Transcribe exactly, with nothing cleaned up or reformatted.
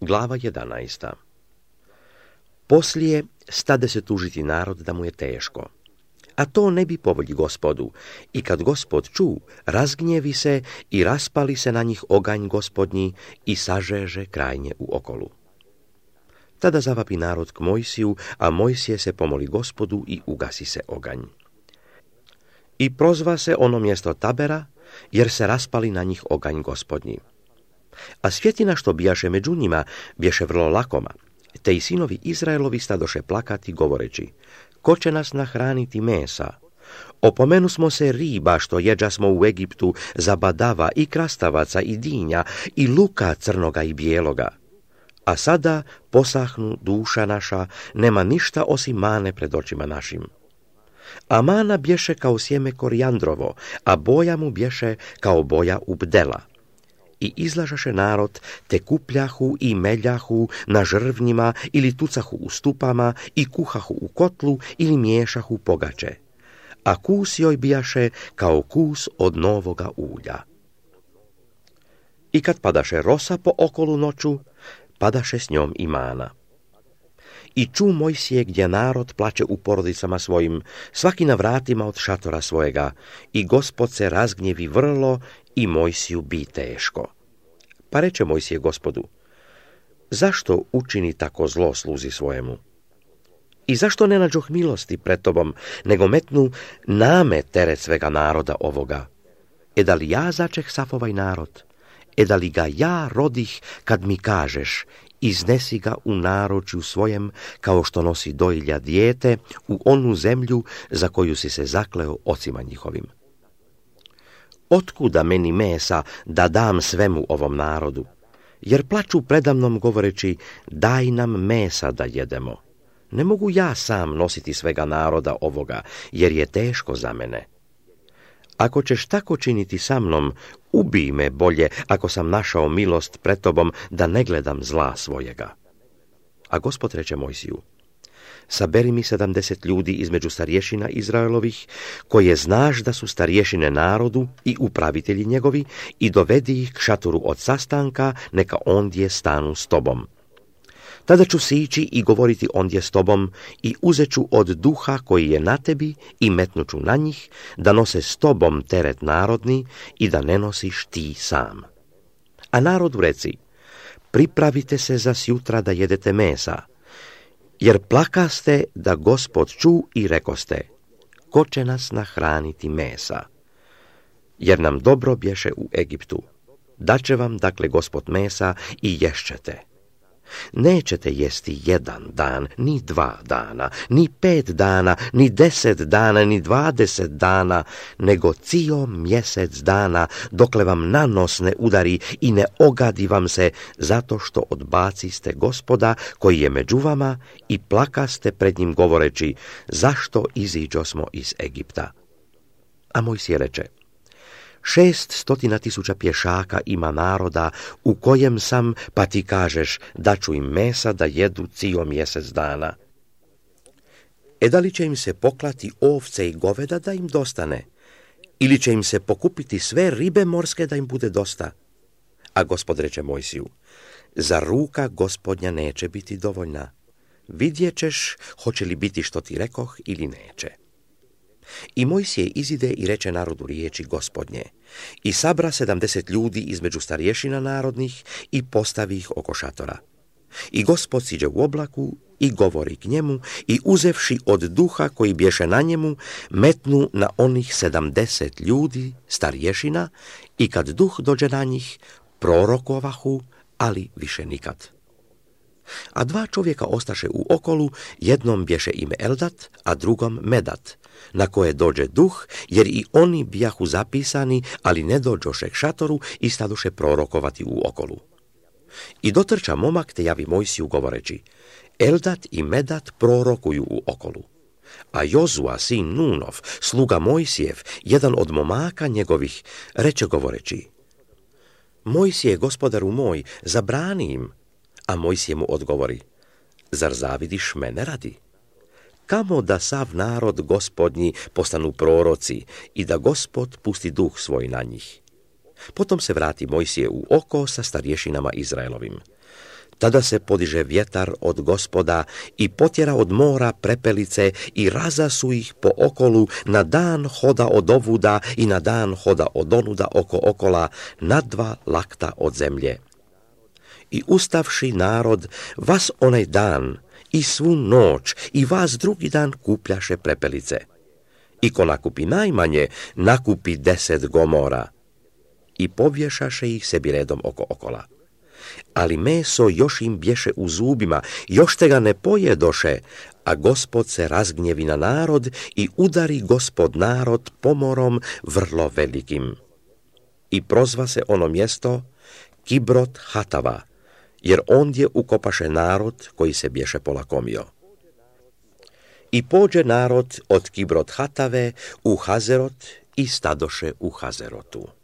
Glava jedanaesta. Poslije stade se tužiti narod da mu je teško. A to ne bi po volji Gospodu. I kad Gospod ču, razgnjevi se i raspali se na njih oganj Gospodnji i sažeže krajnje u okolu. Tada zavapi narod k Mojsiju, a Mojsije se pomoli Gospodu i ugasi se oganj. I prozva se ono mjesto Tabera, jer se raspali na njih oganj Gospodnji. A svjetina što bijaše među njima, bješe vrlo lakoma, te i sinovi Izraelovi stadoše plakati, govoreći: ko će nas nahraniti mesa? Opomenu smo se riba što jeđa smo u Egiptu, za badava i krastavaca i dinja i luka crnoga i bijeloga. A sada posahnu duša naša, nema ništa osim mane pred očima našim. A mana bješe kao sjeme korijandrovo, a boja mu bješe kao boja ubdela. I izlažaše narod, te kupljahu i meljahu na žrvnjima ili tucahu u stupama i kuhahu u kotlu ili miješahu pogače. A kus joj bijaše kao kus od novoga ulja. I kad padaše rosa po okolu noću, padaše s njom i mana. I ču Mojsije gdje narod plače u porodicama svojim, svaki na vratima od šatora svojega, i Gospod se razgnjevi vrlo i Mojsiju bi teško. Pa reče Mojsije Gospodu: zašto učini tako zlo sluzi svojemu? I zašto ne nađoh milosti pred tobom, nego metnu name teret svega naroda ovoga? E da li ja začeh sav ovaj narod? E da li ga ja rodih kad mi kažeš: iznesi ga u naručju svojem, kao što nosi dojilja dijete, u onu zemlju za koju si se zakleo ocima njihovim? Otkuda meni mesa da dam svemu ovom narodu? Jer plaču predamnom govoreći: daj nam mesa da jedemo. Ne mogu ja sam nositi svega naroda ovoga, jer je teško za mene. Ako ćeš tako činiti sa mnom, ubij me bolje, ako sam našao milost pred tobom, da ne gledam zla svojega. A Gospod reče Mojsiju: saberi mi sedamdeset ljudi između starješina Izraelovih, koje znaš da su starješine narodu i upravitelji njegovi, i dovedi ih k šatoru od sastanka, neka ondje stanu s tobom. Tada ću sići i govoriti ondje s tobom, i uzeću od duha koji je na tebi i metnuću na njih, da nose s tobom teret narodni i da ne nosiš ti sam. A narodu reci: pripravite se za sjutra da jedete mesa, jer plakaste da Gospod ču i rekoste: ko će nas nahraniti mesa? Jer nam dobro bješe u Egiptu. Daće vam dakle Gospod mesa i ješćete. Nećete jesti jedan dan, ni dva dana, ni pet dana, ni deset dana, ni dvadeset dana, nego cijel mjesec dana, dokle vam na nos ne udari i ne ogadi vam se, zato što odbaciste Gospoda koji je među vama i plakaste pred njim govoreći: zašto iziđosmo iz Egipta? A Mojsije reče: Šest stotina tisuća pješaka ima naroda u kojem sam, pa ti kažeš: daću im mesa da jedu cijel mjesec dana. E da li će im se poklati ovce i goveda da im dostane? Ili će im se pokupiti sve ribe morske da im bude dosta? A Gospod reče Mojsiju: za ruka Gospodnja neće biti dovoljna. Vidjet ćeš hoće li biti što ti rekoh ili neće. I Mojsije izide i reče narodu riječi Gospodnje, i sabra sedamdeset ljudi između starješina narodnih i postavi ih oko šatora. I Gospod siđe u oblaku i govori k njemu, i uzevši od duha koji bješe na njemu, metnu na onih sedamdeset ljudi starješina, i kad duh dođe na njih, prorokovahu, ali više nikad. A dva čovjeka ostaše u okolu, jednom bješe ime Eldat, a drugom Medat, na koje dođe duh, jer i oni bijahu zapisani, ali ne dođoše k šatoru i stadoše prorokovati u okolu. I dotrča momak te javi Mojsiju govoreći: Eldat i Medat prorokuju u okolu. A Jozua, sin Nunov, sluga Mojsijev, jedan od momaka njegovih, reče govoreći: Mojsije, gospodaru moj, zabrani im. A Mojsije mu odgovori: zar zavidiš mene radi? Kamo da sav narod Gospodnji postanu proroci i da Gospod pusti duh svoj na njih. Potom se vrati Mojsije u oko sa starješinama Izraelovim. Tada se podiže vjetar od Gospoda i potjera od mora prepelice i razasu ih po okolu, na dan hoda od ovuda i na dan hoda od onuda oko okola, na dva lakta od zemlje. I ustavši narod, vas onaj dan i svu noć i vas drugi dan kupljaše prepelice. I ko nakupi najmanje, nakupi deset gomora. I povješaše ih sebi redom oko okola. Ali meso još im bješe u zubima, još te ga ne pojedoše, a Gospod se razgnjevi na narod i udari Gospod narod pomorom vrlo velikim. I prozva se ono mjesto Kibrot Hatava, jer ondje ukopaše narod koji se bješe polakomio. I pođe narod od Kibrot Hatave u Hazerot i stadoše u Hazerotu.